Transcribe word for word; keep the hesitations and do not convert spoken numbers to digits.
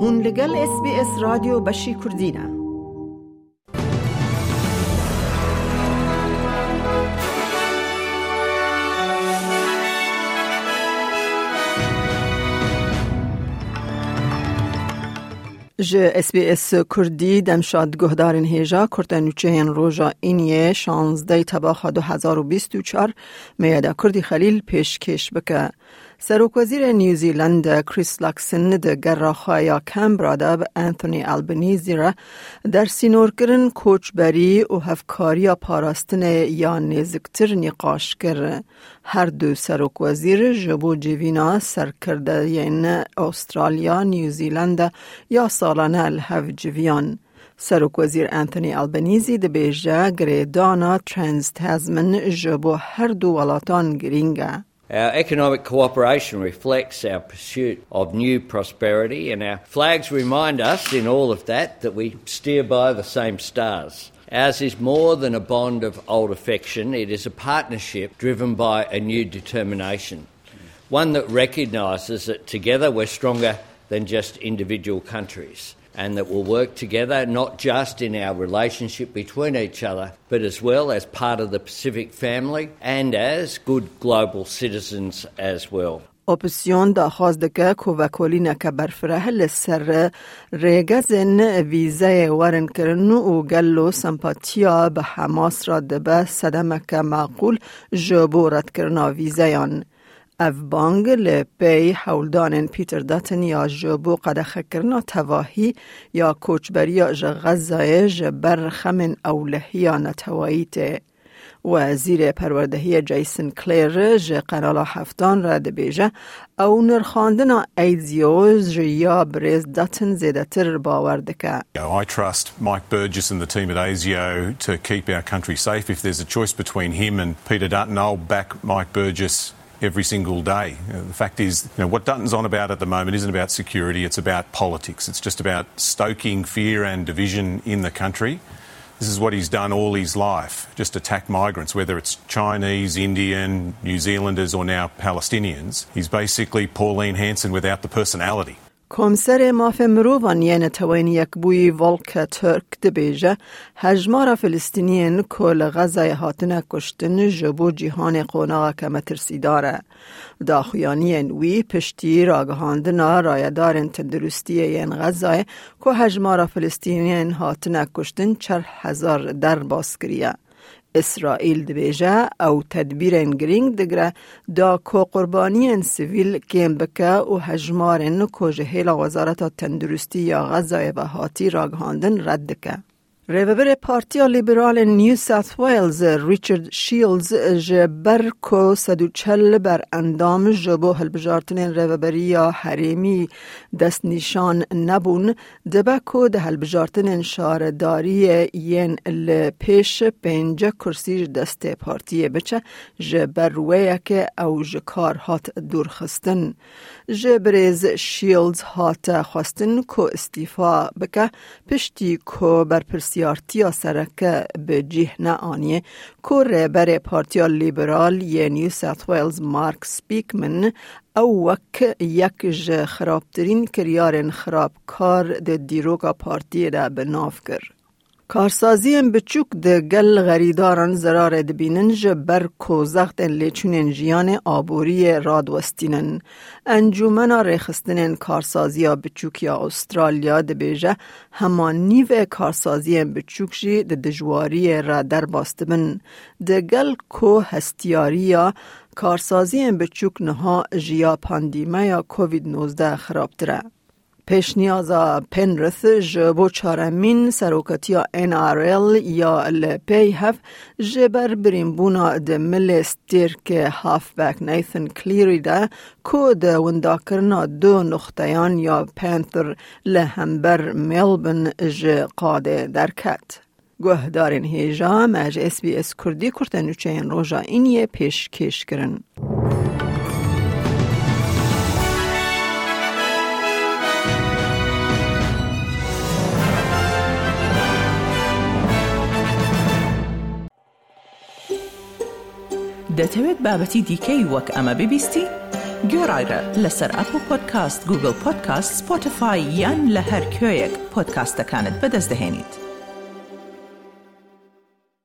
Hûn li gel S B S Radyo Beşî Kurdî ne. Ji S B S Kurdî demşad guhdarên hêja kurte nûçeyên roja Îniyê şazdeh tebaxa du hezar û bîst û çar Meyeda Kurdî Xelîl pêşkêş bike. Serokwezîrê New Zealand Chris Luxon di gera xwe ya Canberra de bi Anthony Albanese re dersînorkirin, koçberî û hevkariya parastinê ya nêziktir nîqaş kir. Her du serokwezîr ji bo civîna serkirdeyên Australya, New Zealand ya salane li hev civiyan. Serokwezîr Anthony Albanese dibêje girêdana Trans-Tasman ji bo her du welatan girîng e. Our economic cooperation reflects our pursuit of new prosperity, and our flags remind us in all of that that we steer by the same stars. Ours is more than a bond of old affection, it is a partnership driven by a new determination, one that recognises that together we're stronger than just individual countries, and that will work together not just in our relationship between each other, but as well as part of the Pacific family and as good global citizens as well. Opozîsyon daxwaz dike ku vekolîneke berfireh li ser rêgezên vîzeyê werin kirin û gelo sempatiya bi Hamas re dibe sedemeke maqûl ji bo redkirina vîzeyan. Ev bang li pey hewldanên Peter Dutton ya ji bo qedexekirina tevahî ya koçberiya ji Xezayê ji ber xemên ewlehiya neteweyî tê. Wezîrê Perwerdehiyê Jason Clare ji Kanala Heftan re dibêje, ew nirxandina ASIO ji ya birêz Dutton zêdetir bawer dike. I trust Mike Burgess and the team at ASIO to keep our country safe. If there's a choice between him and Peter Dutton, I'll back Mike Burgess every single day. Uh, the fact is, you know, what Dutton's on about at the moment isn't about security, it's about politics. It's just about stoking fear and division in the country. This is what he's done all his life, just attack migrants, whether it's Chinese, Indian, New Zealanders or now Palestinians. He's basically Pauline Hanson without the personality. Komserê Mafê Mirovan yê Neteweyên Yekbûyî Volker Türk dibêje, hejmara Filistîniyên ku li Xezayê hatine kuştin ji bo cîhanê qonaxeke metirsîdar e. Daxuyaniyên wî piştî ragihandina rayedarên tenduristiyê yên Xezayê ku hejmara Filistîniyên hatine kuştin çar hezar derbas kiriye. Îsraîl dibêje ew tedbîrên girîng digire da ku qurbaniyên sivîl kêm bike û hejmarên ku ji hêla Wezareta Tenduristî ya Xezayê ve hatî ragihandin red dike. Rêvebirê Partiya Liberal ên New South Wales, Richard Shields, ji ber ku sed û çel berendam ji bo hilbijartinên rêveberiya herêmî destnîşan nebûn, dibe ku di hilbijartinên şaredariyê yên li pêş pêncî kursî ji destê partiyê biçe, ji ber wê yekê ew ji kar hat dûrxistin. Ji birêz Shields hate xwestin ku îstîfa bike, piştî ku berpirsiyartiya sereke bi cih neaniye ku rêberê Partiya Liberal yê New South Wales Mark Speakman ew wek yek ji xirabtirîn kiryarên xirabkar di dîroka partiyê de bi nav kir. Karsaziyên biçûk di gel xerîdaran zerarê dibînin, ji ber ku zextên lêçûnên jiyanê aboriyê radiwestînin. Encûmena Rêxistinên Karsaziya Biçûk ya Australya dibêje, hema nîvê karsaziyên biçûk jî di dijwariyê re derbas dibin. Di gel ku hestiyariya karsaziyên biçûk niha ji ya pandîmeya Covid nozdeh xirabtir e. Pêşniyaza Penrith ji bo çaremîn serokatiya N R L ya li pey hev ji ber birînbûna di milê stêrkê halfback Nathan Cleary de ku di windakirina du nuxteyan ya Panther li hember Melbourne ji qadê derket. Guhdarên hêja me ji S B S Kurdî kurte nûçeyên roja Îniyê pêşkêş kirin. دەتەوێت بابەتی دیکەی وەک ئەمە ببیستی؟ گۆڕایرە لەسەر ئەپڵ پۆدکاست، گوگڵ پۆدکاست، سپۆتیفای یان لە هەر کوێیەک پۆدکاستەکانت بەدەست دەهێنیت.